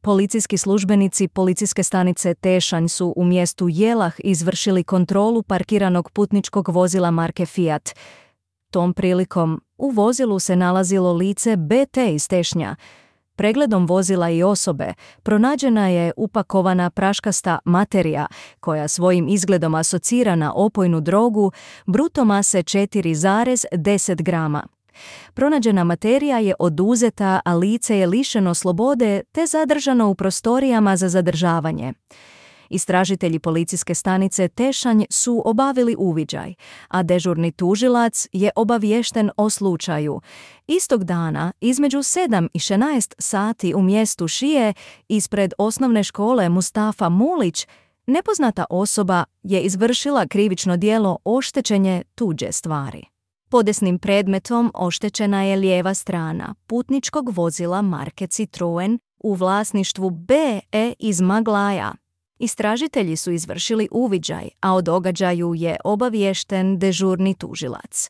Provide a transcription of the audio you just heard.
Policijski službenici policijske stanice Tešanj su u mjestu Jelah izvršili kontrolu parkiranog putničkog vozila marke Fiat. Tom prilikom u vozilu se nalazilo lice BT iz Tešnja. Pregledom vozila i osobe pronađena je upakovana praškasta materija koja svojim izgledom asocira na opojnu drogu bruto mase 4,10 grama. Pronađena materija je oduzeta, a lice je lišeno slobode te zadržano u prostorijama za zadržavanje. Istražitelji policijske stanice Tešanj su obavili uviđaj, a dežurni tužilac je obaviješten o slučaju. Istog dana, između 7 i 16 sati u mjestu Šije, ispred osnovne škole Mustafa Mulić, nepoznata osoba je izvršila krivično djelo oštećenje tuđe stvari. Podesnim predmetom oštećena je lijeva strana putničkog vozila marke Citroen u vlasništvu BE iz Maglaja. Istražitelji su izvršili uviđaj, a o događaju je obaviješten dežurni tužilac.